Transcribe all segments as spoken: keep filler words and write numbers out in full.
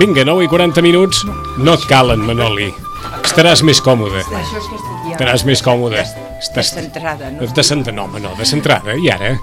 Vinga, nou i quaranta minuts, no et calen, Manoli. Estaràs més còmode. Estaràs més còmode. Estàs descentrada, no? Descentrada, no, home, no, descentrada. I ara,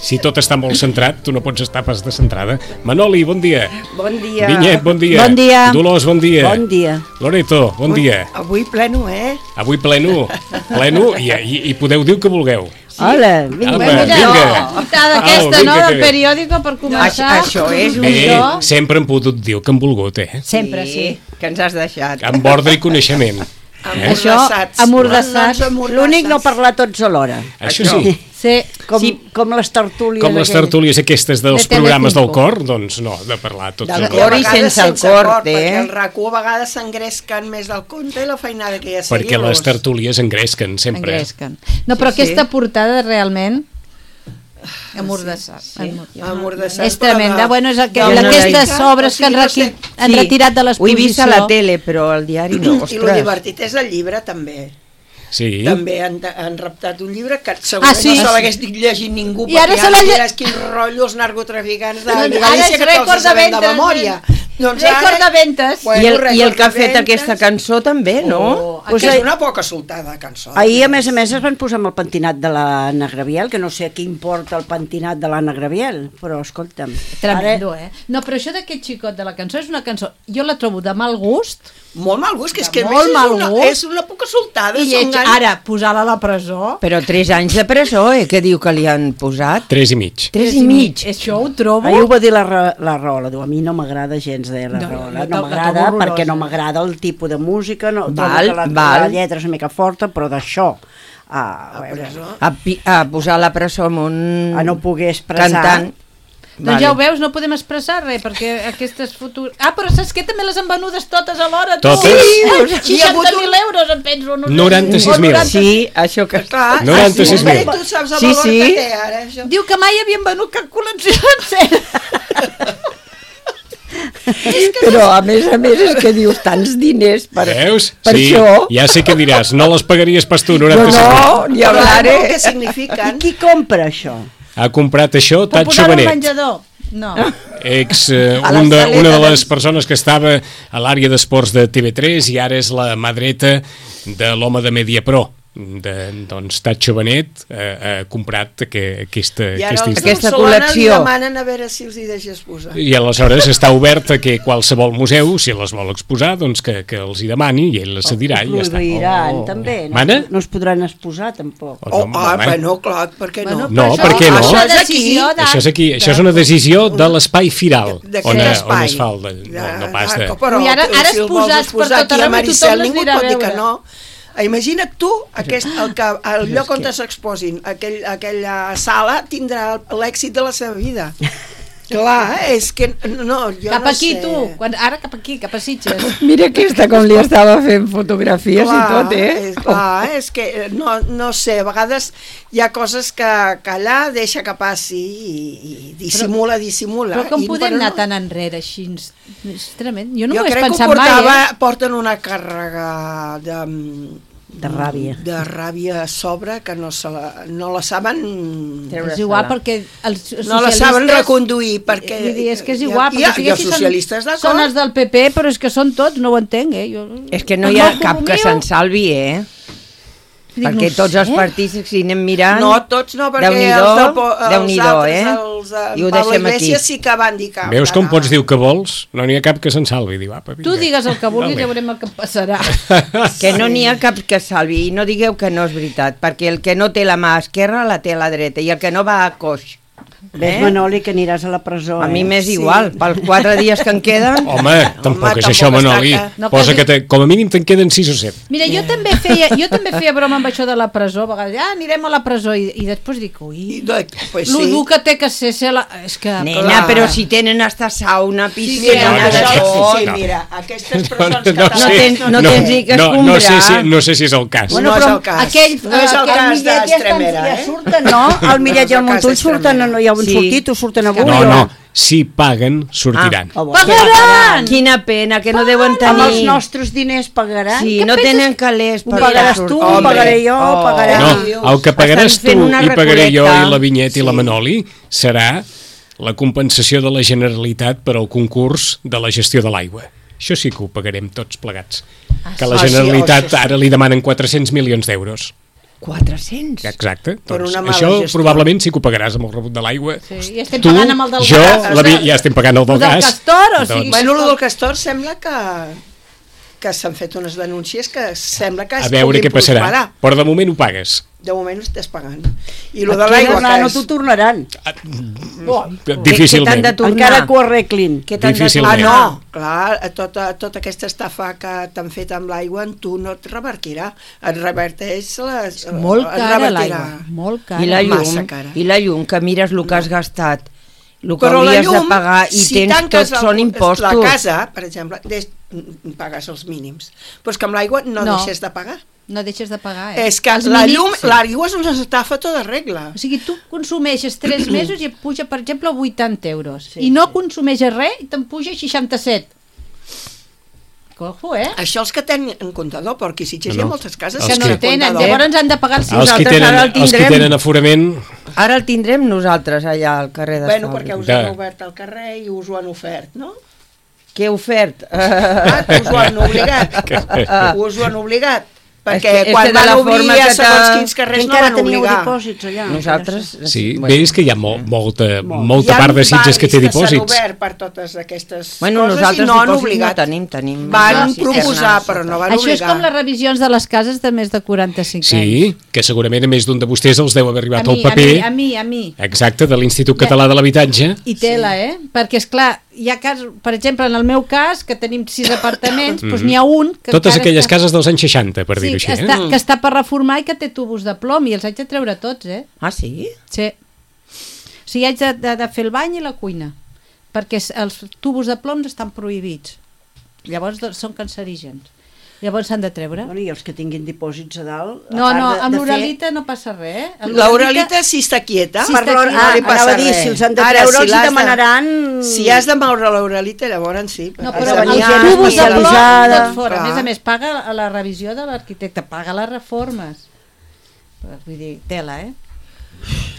si tot està molt centrat, tu no pots estar pas descentrada. Manoli, bon dia. Bon dia. Vinyet, bon dia. Bon dia. Dolors, bon dia. Bon dia. Loreto, bon dia. Avui pleno, eh? Avui pleno, pleno, i, i, i podeu dir el que vulgueu. Hola, vinga. Apa, Vinga. vinga. Portada aquesta, Au, no?, vinga, del que- periòdico per començar. Això és un Bé, do sempre hem pogut dir el que hem volgut, eh? Sempre, sí. que ens has deixat. Amb ordre i coneixement. Això, Amordassats. amordassats. No ens amordassats. L'únic no parlar tots alhora. Això sí. Sí, com, Sí. com les tertúlies. Com les aquelles. tertúlies aquestes dels De programes del Telecinco. cor, doncs no, de parlar tots Del els cor i alhora. sense el cor, eh? Perquè el RAC1 a vegades s'engresquen més del compte i la feinada que hi ha a Perquè seguir-los. les tertúlies engresquen sempre. Engresquen. No, però Sí, sí. aquesta portada realment amordassat. Amordassat, És tremenda. però de- Bueno, és aquell, No, no, aquestes no, sobres o que han, sigui, no requi, sé. han Sí. retirat de Ho he l'exposició. vist a la tele, però al diari no. I el Ostres. divertit és el llibre, també. Sí. També han, han raptat un llibre que segurament Ah, sí? no se l'hagués dit llegit ningú, I ara perquè se l'ha lle- diràs quin rotllo els narcotraficants de, No, de ara Galícia és que te'ls rècord de sabem de ventes, memòria. Doncs Rècord de ventes. Bueno, I el, i el rècord que ha de fet ventes. aquesta cançó també, no? Oh, Pues que és ahir- una poca soltada de cançó. Ahir, a més a més, es van posar amb el pentinat de l'Anna Graviel, que no sé què importa el pentinat de l'Anna Graviel, però escolta'm. Tremendo, eh? No, però això d'aquest xicot de la cançó és una cançó, jo la trobo de mal gust, Molt mal gust, que és De que a molt més mal és una, gust. és una poca soltada. i són lleig, ganes- ara, posar-la a la presó... Però tres anys de presó, eh? Què diu que li han posat? Tres i mig. Tres i mig. Això ho trobo... Ahir ho va dir la, Ra- la Rahola, diu, a mi no m'agrada gens de la No, Rahola, no, no, no, m'agrada no, no, perquè no horrorosa. m'agrada el tipus de música, no, trobo Val, que la, val. la lletra és una mica forta, però d'això a, a, veure, A, pi- a posar la presó amb un... a no poder expressar... Cantant. Doncs ja ho veus, no podem expressar res, perquè aquestes fotografies... Ah, però saps què? També les han venudes totes alhora, tu! Totes? Sí, seixanta mil euros, em penso. No sé. noranta-sis mil. O noranta- Sí, això que... Clar, noranta-sis mil. ah, sí, tu saps el Sí, valor sí. que té ara, això. Diu que mai havien venut cap col·lecció sencera. Però a més a més és que dius tants diners per, Veus? per Sí, això. ja sé què diràs, no les pagaries pas tu, No, noranta-sis mil. no, ni Però hablaré. el que I signifiquen... qui compra això? Ha comprat això Per Tatxo posar-ho al Benet, menjador. No. ex, eh, A la un de, saleta una de de- les persones que estava a l'àrea d'esports de T V tres i ara és la mà dreta de l'home de Mediapro. De, doncs Tatxo Benet eh, ha comprat que, aquesta, I ara aquesta els instal·lació. Aquesta Barcelona li col·lecció. demanen a veure si els hi deixes posar. I aleshores està obert a que qualsevol museu, si les vol exposar, doncs que, que els hi demani i ell les cedirà i ja està. Prohibiran, Oh. també. No, Mana? no es podran exposar, tampoc. Oh, Oh, no, ah, home. bueno, clar, per què no? Bueno, No, però per què no? Això Això és és aquí. decisió de... Això és aquí, això és una decisió de l'espai firal, D'aquest on, espai. on es fa el... De, no, no pas de... Però, I ara- ara si el vols exposats per exposar tot aquí a arreu i Maricel, tothom les ningú et anirà a pot dir que veure. no. Imagina't tu, aquest, el, que, el lloc on s'exposin, aquell, aquella sala tindrà l'èxit de la seva vida. Clar, és que no, jo Cap no aquí, sé. tu. Quan, ara cap aquí, cap a Sitges. Mira aquesta com li estava fent fotografies Clar, i tot, eh? És, clar, és que no, no sé, a vegades hi ha coses que, que allà deixa que passi i, i dissimula, dissimula. Però com I, podem bueno, anar no. tan enrere així? És tremend. Jo no Jo m'ho he crec que ho pensat portava, mai, eh? porten una càrrega de, De ràbia. de ràbia a sobre que no, se la, no la saben És igual perquè els socialistes... no la saben reconduir perquè Vull dir, és que és igual, hi ha, perquè hi ha si socialistes són, d'acord són els del P P, però és que són tots, no ho entenc, eh? Jo... És que no hi ha cap que se'n salvi, eh? Dic, Perquè no tots sé. els partits, si anem mirant... no, tots no, perquè Déu-n'hi-do, els, de, po- els Déu-n'hi-do, altres, eh? els de I ho Pablo deixem aquí. Iglesias sí que van dir que... Veus com pots dir el que vols? No n'hi ha cap que se'n salvi. Diu, apa, Tu vinga. digues el que vulguis Vale. i veurem el que passarà. Que no n'hi ha cap que salvi, i no digueu que no és veritat, perquè el que no té la mà esquerra la té a la dreta, i el que no va a coix. Ves, Eh? Manoli, que aniràs a la presó. A mi eh? m'és Sí. igual, pels quatre dies que en queden... Home, tampoc és tampoc això, es Manoli. tracta. No, Posa quasi- que te, com a mínim te'n queden sis o set. Mira, jo també feia, jo també feia broma amb això de la presó, a vegades, ah, anirem a la presó, i, i després dic, I, ui, doncs, pues lo sí. dur que té que ser, ser la... És que... Nena, clar. però si tenen hasta sauna, piscina, Mira, no, no, això, no, sí, sí, no. mira, aquestes No, persones no, no, catalanes... sé. tens- no tens ni que no, no, sé escombrar. si, no sé si és el cas. Bueno, no és el cas. aquell- no és el aquell cas Millet ja, estan, d'Estremera, ja eh? surten, no? El Millet i el Montull surten, no hi ha un Sí. sortit, o surten avui. No, o- no, si paguen, sortiran. Ah, Pagaran! Quina pena, que no deuen Amb els tenir... nostres diners pagaran? Sí, Què no penses? tenen calés Ho per pagaràs tu, ho sortir. pagaré jo, ho pagarà... No, dius? el que pagaràs Estan fent tu una i pagaré jo recolecta. i la Vinyet i la Sí. Manoli serà la compensació de la Generalitat per al concurs de la gestió de l'aigua. Això sí que ho pagarem tots plegats. Que la Ah, sí, Generalitat això sí. ara li demanen quatre-cents milions d'euros. quatre-cents? Exacte. Per Doncs una mala això gestió. probablement sí que ho pagaràs amb el rebut de l'aigua. Sí, i estem Tu, pagant amb el del jo, gas. la Vi- ja estem pagant el del El del gas. Castor, o Doncs- sigui, Bueno, el del Castor sembla que que s'han fet unes denúncies que sembla que es A veure puguin què passarà. prosperar. Però de moment ho pagues. De moment ho estàs pagant. I el de Aquí l'aigua, no, que no és... t'ho tornaran. Difícilment. t'han de tornar? Encara que ho arreglin. Què t'han de Difícilment. tornar? Ah, no, clar, tota, tota aquesta estafa que t'han fet amb l'aigua en tu no et revertirà. Et reverteix les... Molt et cara revertirà. l'aigua, molt cara. I la llum, Massa cara. i la llum, que mires el que has gastat, el que Però la hauries llum, de pagar i si tens tanques tot, el- són impostos. La casa, per exemple, des, pagues els mínims. Però és que amb l'aigua no, No. deixes de pagar. No deixes de pagar, eh? És que Els la mínims, llum, sí. l'aigua és una estafa tota regla. O sigui, tu consumeixes tres mesos i et puja, per exemple, vuitanta euros. Sí, I no sí. consumeixes res i te'n puja seixanta-set. Cojo, eh? Això els que tenen un comptador, perquè si No, hi ha no. moltes cases Els Que no que- el tenen, comptador. llavors han de pagar els Els que, Nosaltres tenen, ara el els que tindrem. tenen aforament... Ara el tindrem nosaltres allà al carrer de Bueno, perquè us De- han obert al carrer i us ho han ofert, no? Què he ofert? Ah, que us ho han obligat. Us ho han obligat. Perquè És que- és quan que de van la obrir forma a que segons t'ha- quins carrers Que no encara van teníeu obligar. dipòsits allà. Nosaltres... Sí, bueno. veus que hi ha mo molta, molta Hi ha part de Sitges que té barris que s'han dipòsits. obert per totes aquestes Bueno, coses nosaltres i no han dipòsits obligat. no tenim, tenim... Van cisternes. proposar, però no van Això és obligar. com les revisions de les cases de més de quaranta-cinc anys. Sí, que segurament a més d'un de vostès els deu haver A arribat mi, el paper. a mi, a mi, a mi. Exacte, de l'Institut Català de l'Habitatge. I tela, eh? Perquè, és clar, hi ha casos, per exemple, en el meu cas, que tenim sis apartaments, doncs n'hi ha un... Que Totes encara aquelles està... cases dels anys seixanta, per Sí, dir-ho així. que està, Eh? que està per reformar i que té tubos de plom i els haig de treure tots, eh? Ah, sí? Sí. O sigui, haig de, de, de fer el bany i la cuina, perquè s- els tubos de plom estan prohibits. Llavors doncs, són cancerígens. Llavors s'han de treure. Bueno, i els que tinguin dipòsits a dalt... a No, part no, de- amb de fer- l'oralita no passa res, eh? Amb L'Aurelita sí està quieta. Sí, per està l'hora quieta. no li Ah, passa anava a dir, res. si els han de Ara, treure, els hi l'has de- demanaran- Si has de moure l'Aurelita, llavors sí. No, Has però de els venir gent tubos de plom especialitzada. tot fora. A Clar. més a més, paga a la revisió de l'arquitecte, paga les reformes. Però, vull dir, tela, eh?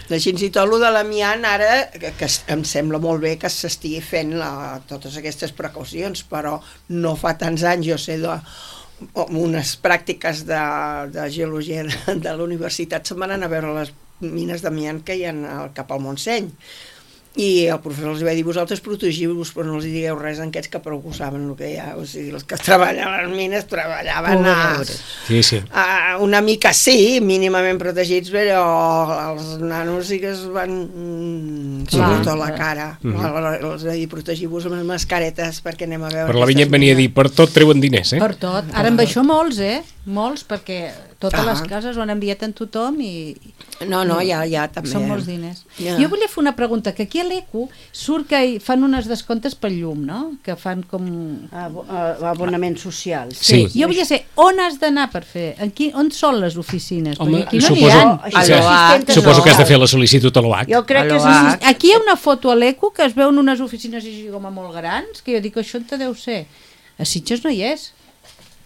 De fins i tot el de l'amiant ara, que, que em sembla molt bé que s'estigui fent la, totes aquestes precaucions, però no fa tants anys, jo sé, de, unes pràctiques de, de geologia de, de la universitat se'n van anar a veure les mines d'amiant que hi ha al, cap al Montseny. I el professor els va dir, vosaltres protegiu-vos, però no els digueu res en aquests que prou ho saben el que hi ha. O sigui, els que treballaven a les mines treballaven a, Sí, sí. a una mica sí, mínimament protegits, però els nanos sí que es van mm, sobretot la cara. Mhm. Els va dir, protegiu-vos amb les mascaretes perquè anem a veure... Per la aquestes Vinyet venia a dir, mines. per tot treuen diners, eh? Per tot. Ara amb això molts, eh? Molts, perquè totes Ah. les cases ho han enviat en tothom i... No, no, ja, ja també. Són molts diners. Ja. Jo volia fer una pregunta, que aquí a l'Eco surt que hi fan unes descomptes pel llum, no? Que fan com... Abo- eh, Abonaments socials. Sí. Jo volia saber on has d'anar per fer, aquí, on són les oficines? Home, Perquè aquí no n'hi suposo, ha. Això sí, és assistenta suposo que has de social. fer la sol·licitud a l'O H. Jo crec que és A l'O H. assist- Aquí hi ha una foto a l'Eco que es veuen unes oficines així com a molt grans, que jo dic, això on te deu ser? A Sitges no hi és.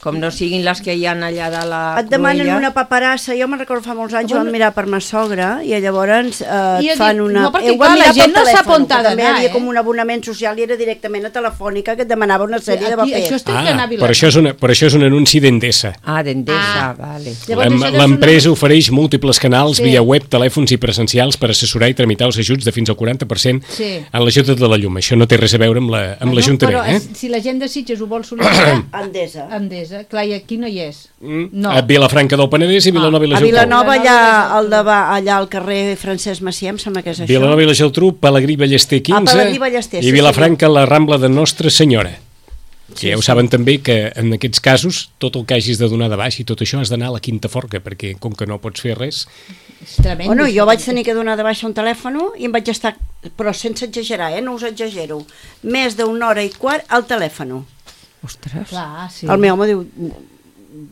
Com no siguin les que hi ha allà de la Et demanen Cruïlla. una paperassa, jo me'n recordo fa molts anys, ho Bueno. vam mirar per ma sogra i llavors eh, I jo et fan dic, una... no, perquè eh, ho clar, vam la mirar gent pel no sap telèfon, on t'ha que també d'anar, hi havia eh? com un abonament social i era directament a Telefònica que et demanava una sèrie de Aquí, papers. això estic Ah, d'anar a però això, és Vilanova. una, però això és un anunci d'Endesa. Ah, d'Endesa, Ah. vale. Llavors, L'em- això és L'empresa una- ofereix múltiples canals Sí. via web, telèfons i presencials per assessorar i tramitar els ajuts de fins al quaranta per cent Sí. en l'ajut de la llum. Això no té res a veure amb la- amb Bueno, l'Ajuntament. però Eh? si la gent de Sitges ho vol sol·licitar, Endesa. Endesa, clar, i aquí no hi és. Mm. No. A Vilafranca del Penedès i Vilanova i la A Geltrú. Vilanova, allà, Vilanova al davant, allà al carrer Francesc Macià, em sembla que és això. Vilanova i la Geltrú, Pelegrí Ballester quinze Ah, Pelegrí Ballester, i sí, Vilafranca la Rambla de Nostra Senyora. Sí, Sí, ja ho sí. saben també que en aquests casos tot el que hagis de donar de baix i tot això has d'anar a la Quinta Forca, perquè com que no pots fer res... És tremend. Bueno, jo vaig tenir que donar de baixa un telèfon i em vaig estar, però sense exagerar, eh? No us exagero, més d'una hora i quart al telèfon. Ostres. Clar, sí. El meu home diu,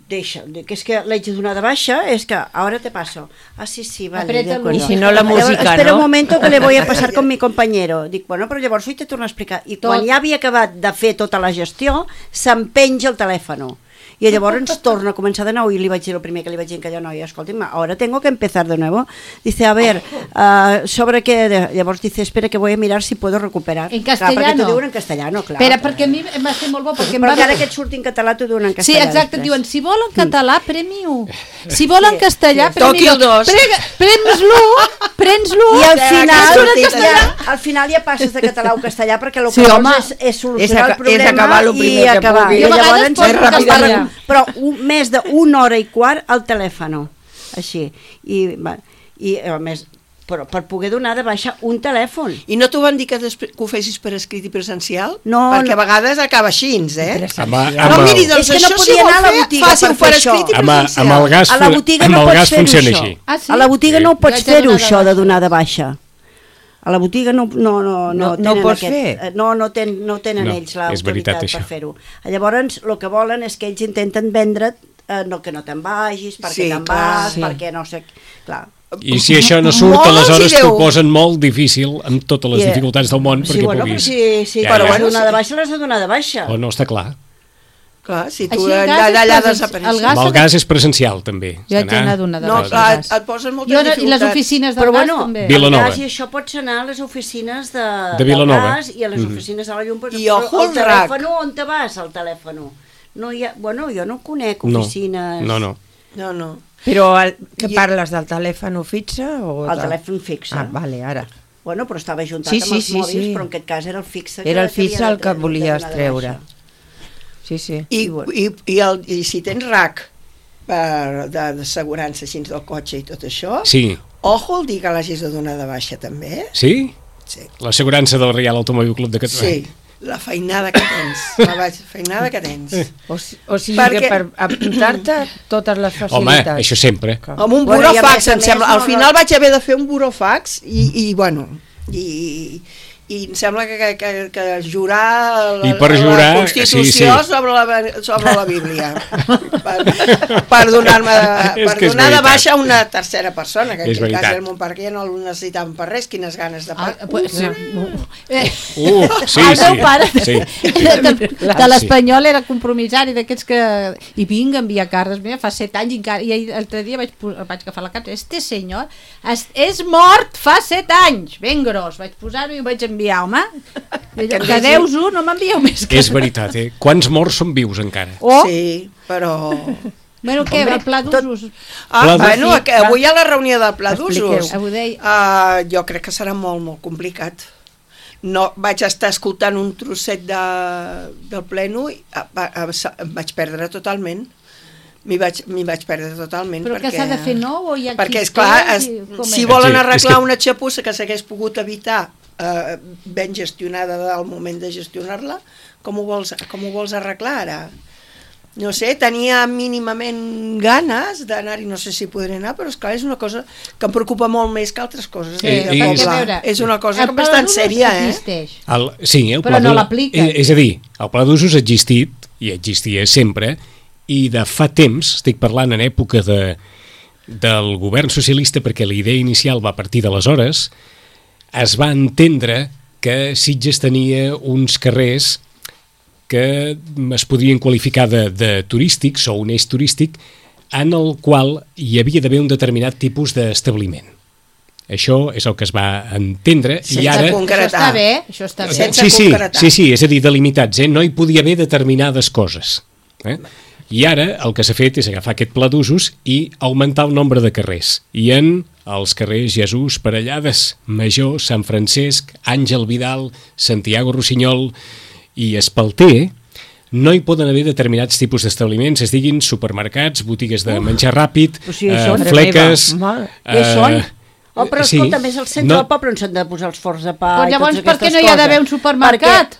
deixa, que és que l'haig de donar de baixa, es que ahora te paso. Ah, sí, sí, vale, Apreta de el acuerdo. Y si no, la Llavors, música, espera ¿no? un momento que le voy a pasar con mi compañero. Dic, bueno, però llavors ho he de tornar a explicar. I quan Tot. ja havia acabat de fer tota la gestió, se'm penja el telèfon. I llavors ens torna a començar de nou i li vaig dir el primer que li vaig dir a aquella noia, escolti'm, ahora tengo que empezar de nuevo. Dice, a ver, uh, sobre què... De... Llavors dice, espera que voy a mirar si puedo recuperar. En Clar, perquè castellano. t'ho diuen en castellano, clar. Espera, perquè a mi em va ser molt bo, perquè em Però va... encara que et surti en català t'ho diuen en Sí, castellà. exacte, et després. diuen, si vol en català, premi u. Si vol en castellà, sí. premi Toqui el dos. Prens-lo, prens-lo. I al Ja, final, que sortit ja, allà. al final ja passes de català o castellà perquè el Sí, que home. vols és, és solucionar És aca- el problema és acabar lo i primer que acabar. pugui. I Jo a vegades llavors poso es va castellà. recu- però un, més d'una hora i quart al telèfon, així. I, va, i a més, però per poder donar de baixa un telèfon. I no t'ho van dir que, després, que ho fessis per escrit i presencial? No, Perquè no. a vegades acaba així, eh? Amb, No, amb, miri, el, doncs És que no això podia si vol anar a la fer, botiga faci-ho per per fer escrit i això. amb, presencial. amb el gas, A la botiga amb no el pots gas fer-ho, funciona això. així. Ah, sí? A la botiga Sí. no ho Jo pots haig de fer-ho, donar de això de baixa. donar de baixa. A la botiga no, no, no, no, No- no tenen pots aquest, fer? eh, no, no, ten, no tenen No, ells és veritat, l'autoritat això. per fer-ho. Llavors, el que volen és que ells intenten vendre't eh, no, que no te'n vagis, perquè Sí, te'n clar, vas, sí. perquè no sé... Clar. I si això no surt, Molts aleshores hi deu. t'ho posen molt difícil amb totes les I, eh, dificultats del món Sí, perquè bueno, però puguis... si, si Ja, ja, ja. l'has de donar de baixa, l'has de donar de baixa. O no, està clar. Clar, si tu Així el gas allà, és allà presen- desapareixes. el gas- Amb el gas és presencial, també. Jo haig D'anar- d'anar d'una de No, baixa. clar, al et, gas. et posen moltes I, on, I les dificultats. oficines del Però gas bueno, també. Vil- Vilanova. el gas i això pots anar a les oficines de, De Vilanova. del gas i a les oficines de la llum. Però, I ojo el al rac. telèfon, on te vas, al telèfon? No hi ha, bueno, jo no conec No, oficines... no, no. No, no. Però el, que I- parles del telèfon fixe o El de... telèfon fixe. Ah, vale, ara. Bueno, però estava juntat Sí, amb sí, els sí, mòbils, sí. però en aquest cas era el fixe. Era el fixe havia el que de- de volies donar de treure. baixa. Sí, sí. I, I bueno. i, i, el, i si tens rac per, de, d'assegurança així del cotxe i tot això, Sí, ojo el dir que l'hagis de donar de baixa també. sí? Sí, L'assegurança del Real Automòbil Club de Catalunya. sí. La feinada que tens, la baix- feinada que tens. O, si- o sigui Perquè- que per apuntar-te totes les Home, facilitats. això sempre. Amb un Bueno, i a burofax, més a em més, sembla. no, Al final no. vaig haver de fer un burofax i, i bueno, i, i em sembla que, que, que, que jurar la, I per la jurar, Constitució sí, sí. sobre la, sobre la Bíblia per, per donar-me de, És per que és donar de veritat. baixa a una tercera persona, que en És aquest cas veritat. era el mon pare, que ja no el necessitaven per res, quines ganes de Ah, pa. pues, uh, eh, Uh, sí, el sí. meu pare Sí. de, de l'Espanyol era compromissari d'aquests que... I vinc a enviar cartes, mira, fa set anys i encara... I ahir- l'altre dia vaig, pu- vaig agafar la carta, este senyor és, és mort fa set anys, ben gros. Vaig posar-ho i ho vaig enviar, home. I allò, que deus-ho, no m'envieu més que... És veritat, eh? Quants morts són vius encara? Oh, Sí, però... bueno, què, el pla d'usos? Ah, Pla bueno, d'usos. que avui hi ha la reunió del pla d'usos. Expliqueu. Ho deia. Uh, jo crec que serà molt, molt complicat. No, vaig estar escoltant un trosset de, del pleno i a, a, a, em vaig perdre totalment. M'hi vaig, m'hi vaig perdre totalment. Però perquè, que s'ha de fer nou o hi ha Perquè, qui esclar, té es, i com si és? volen Sí, és arreglar que- una xapussa que s'hagués pogut evitar eh, ben gestionada del moment de gestionar-la, com ho vols, com ho vols arreglar ara? no sé, tenia mínimament ganes d'anar-hi, no sé si podré anar, però esclar, és una cosa que em preocupa molt més que altres coses. Sí, de és- Pobla. veure, és una cosa el que bastant pla d'usos sèria, eh? existeix. El, sí, el Però pla no d'u- l'apliquen. És, és a dir, el pla d'usos ha existit, i existia sempre, i de fa temps, estic parlant en època de, del govern socialista, perquè la idea inicial va partir d'aleshores, es va entendre que Sitges tenia uns carrers que es podrien qualificar de, de turístics o un eix turístic en el qual hi havia d'haver un determinat tipus d'establiment. Això és el que es va entendre Sense i ara... concretar. Això està bé, això està bé. Sense sí, sí, concretar. sí, sí, és a dir, delimitats, eh? No hi podia haver determinades coses. Eh? I ara el que s'ha fet és agafar aquest pla d'usos i augmentar el nombre de carrers. I en els carrers Jesús, Parellades, Major, Sant Francesc, Àngel Vidal, Santiago Rossinyol i Espalter, no hi poden haver determinats tipus d'establiments, es diguin supermercats, botigues de menjar ràpid, O sigui, eh, són- fleques... Mare Què són? Oh, però sí. escolta, més al centre No, del poble on s'han de posar els forns de pa Però i llavors, totes per què aquestes no hi ha coses? d'haver un supermercat?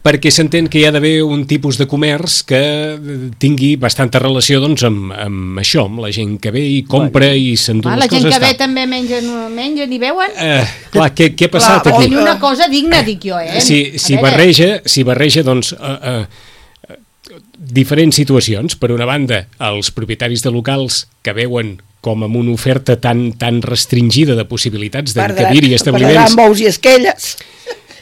perquè s'entén que hi ha d'haver un tipus de comerç que tingui bastanta relació doncs, amb, amb això, amb la gent que ve i compra bueno. i s'endú Ah, les la gent coses. que ve tal. també mengen, mengen i beuen? Eh, clar, què, què ha passat Clar, aquí? Tenir una cosa digna, dic jo, eh? Si, A si, veure, barreja, si barreja doncs, eh, eh, diferents situacions. Per una banda, els propietaris de locals que veuen com amb una oferta tan, tan restringida de possibilitats d'encabir i establiments. Per bous i esquelles.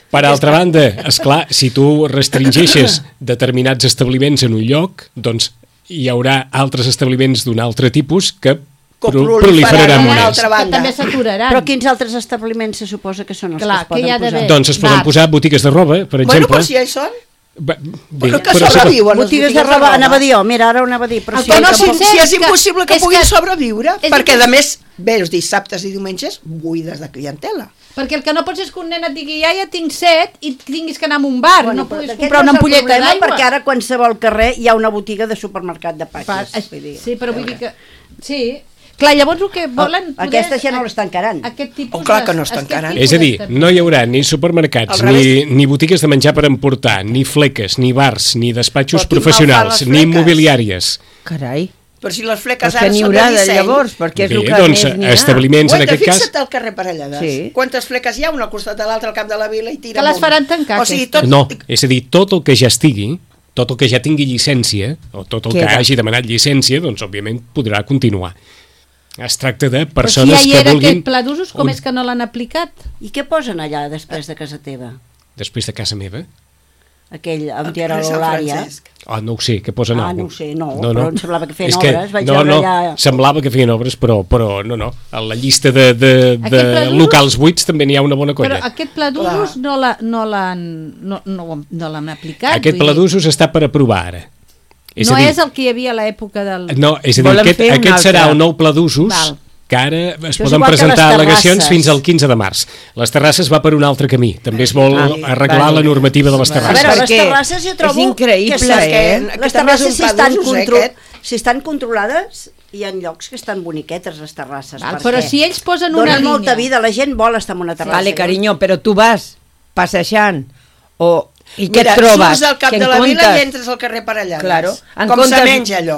Per altra banda, esclar, si tu restringeixes determinats establiments en un lloc, doncs hi haurà altres establiments d'un altre tipus que Que pro proliferaran proliferaran una més. altra que banda. també s'aturaran. Però quins altres establiments se suposa que són els Clar, que es que hi ha poden posar? d'haver. Doncs es poden Bars. posar botigues de roba, per Bueno, exemple. però si ja hi són. Ba- bé, Però que però se pot- sobreviuen les Botigues de roba, anava a dir jo, mira, ara ho anava a dir, però El sí, que no No, si, pot ser si és és que- impossible que és puguin que- sobreviure, és perquè que- a més, bé, els dissabtes i diumenges buides de clientela. Perquè el que no pots és que un nen et digui ja, ja tinc set i tinguis que anar a un bar, Bueno, no però puguis aquest comprar no una és el ampolleta problema, d'aigua. perquè ara a qualsevol carrer hi ha una botiga de supermercat de Pa- patges. vull dir. Sí, però vull dir que... Sí. Clar, llavors el que volen... Oh, aquestes ja no les tancaran. Aquest tipus Oh, clar que no d'es- es tancaran. aquest És a dir, tipus no hi haurà ni supermercats, Al ni, revés. ni botigues de menjar per emportar, ni fleques, ni bars, ni despatxos Però quin mal professionals, fan ni les fleques? immobiliàries. Carai. Però si les fleques Pues que ara n'hi són haurà de de disseny... llavors, perquè és Bé, el que doncs, més n'hi ha. establiments en Guaita, aquest cas... fixa't al carrer Parellades. Sí. Quantes fleques hi ha, una al costat de l'altra al cap de la vila i tira Que les amunt. faran tancar, O sigui, aquestes. tot... No, és a dir, tot el que ja estigui, tot el que ja tingui llicència, o tot el que Queda. hagi demanat llicència, doncs, òbviament, podrà continuar. Es tracta de Però si persones ja hi que era vulguin... aquest pla d'usos, com un- és que no l'han aplicat? I què posen allà després de casa teva? Després de casa meva? Aquell, on al hi era carrer Sant l'Eulària. Francesc. Ah, no ho sé, què posen Ah, algú? no ho sé, no, però em semblava que feien És obres, vaig no, veure no, allà- semblava que feien obres, però, però no, no. A la llista de, de, Aquest de pla d'usos- locals buits també n'hi ha una bona Però colla. aquest pla d'usos no l'ha- no l'han no, no, no l'han aplicat. Aquest vull pla dir, d'usos està per aprovar ara. És no a dir, és el que hi havia a l'època del... No, és a dir, Volen aquest, fer un aquest serà altre. un nou pla d'usos Val. que ara es és poden igual que presentar les al·legacions terrasses. fins al quinze de març. Les terrasses va per un altre camí. També es vol Ah, arreglar vale. la normativa de les A terrasses. veure, les Perquè terrasses jo trobo és increïble, que, sí, eh? que Que les també és un terrasses si pla estan, d'usos, eh, contro aquest? si estan controlades hi ha llocs que estan boniquetes les terrasses. Val, perquè però si ells posen una donen línia... molta vida, la gent vol estar en una terrassa. Vale, carinyo, però tu vas passejant o... I què Mira, et trobes? surts del cap Que de en la vila comptes- i entres al carrer Parellades. Claro. En Com comptes- se menja allò,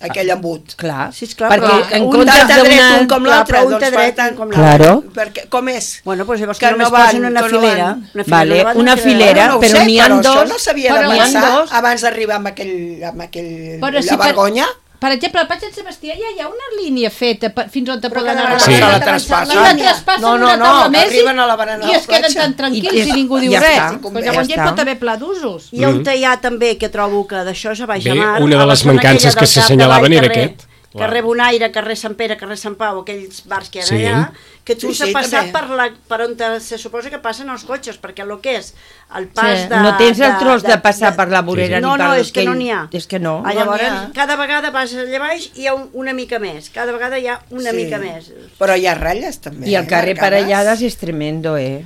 aquell embut. Clar, Sí, esclar, perquè però en un comptes Tant de dret d'una... un com clar, l'altre, però un doncs té per dret, tant... un com l'altre. Claro. Perquè, com és? Bueno, doncs llavors Que que, només no van, posen una que no filera. van. Una filera, Vale, no van, una queda- filera, no ho però sé, n'hi ha però dos. això no s'havia Però de n'hi ha pensar dos. abans d'arribar amb aquell, amb aquell Però si la per- vergonya. Per exemple, al Patge de Sebastià ja hi ha una línia feta per, fins on te Però poden cada anar. Sí. vegada la que traspassen. I la traspassen No, no, una no, taula que més arriben i, a la barana de i la es queden platja. tan tranquils I- i, ningú diu ja res. està, Però ja llavors ja hi està. pot haver pla d'usos. I on hi ha també, que trobo que d'això és a baix Bé, a mar... una de a la les zona mancances aquella que del Cap s'assenyalaven de era Vall, aquest. Carrer, carrer Bonaire, carrer Sant Pere, carrer Sant Pau, aquells bars que hi ha Sí. allà, que tu Sí, s'ha sí, passat també. per, la, per on te, se suposa que passen els cotxes, perquè el que és el pas Sí. de... No tens el tros de passar per la vorera No, ni per no, és que aquell- no n'hi ha. És que no. Ah, No llavors, n'hi ha. cada vegada vas allà baix i hi ha un, una mica més. Cada vegada hi ha una Sí. mica més. Però hi ha ratlles també. I el eh, carrer marcades. Parellades és tremendo, eh?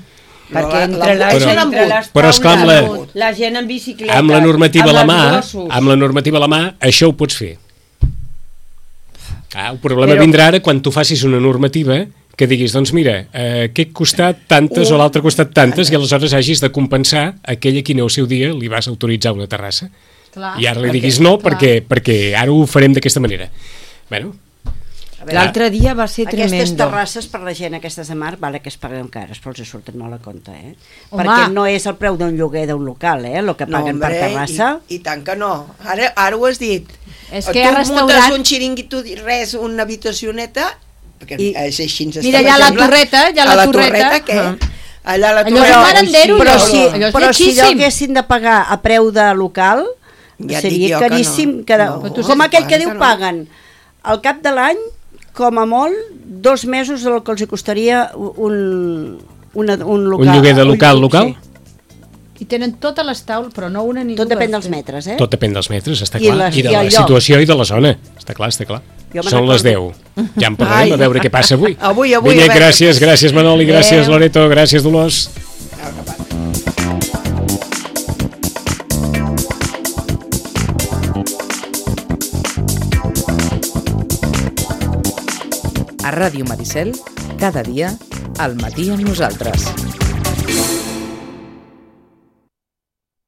No, Perquè la- entre, la- la, Però- entre les però esclar, amb la- taules, la gent en bicicleta, Amb la normativa a la amb mà, els gossos. amb la normativa a la mà, això ho pots fer. Ah, el problema Però- vindrà ara quan tu facis una normativa que diguis, doncs mira, eh, aquest costat tantes o l'altre costat tantes, i aleshores hagis de compensar aquell a qui en el seu dia li vas autoritzar una terrassa. Clar. I ara li diguis no perquè, perquè ara ho farem d'aquesta manera. Bueno, L'altre dia va ser Aquestes tremendo. terrasses per la gent, aquestes de mar, vale que es paguen cares, però els hi surten molt a compte, eh? Home. Perquè no és el preu d'un lloguer d'un local, eh? El que paguen per terrassa. I, i tant que no. Ara, ara ho has dit. És tu que hi ha restaurant- muntes un xiringuito, res, una habitacioneta, perquè I- és així. ens Mira, està hi ha la sembla. torreta, hi ha A la la torreta. torreta, què? Ah. Allà a la Allò és torreta. un marandero, Però allò. si, Allò és però si lletgíssim. allò haguessin de pagar a preu de local, Ja et dic seria jo que caríssim. no. Que No, com tu aquell que saps diu que no. paguen al cap de l'any, com a molt, dos mesos del que els hi costaria un, una, un local. un lloguer de local, un- local? sí. I tenen totes les taules, però no una ni Tot dues. depèn dels metres, eh? Tot depèn dels metres, està I clar. les- I de i la el lloc. situació i de la zona. Està clar, està clar. Jo me'n Són les deu. recordo. Ja en parlarem, Ai. a veure què passa avui. Avui, avui, Vinga, a veure gràcies, què gràcies Manoli, gràcies Adéu. Loreto, gràcies Dolors. A Ràdio Maricel, cada dia, al matí amb nosaltres.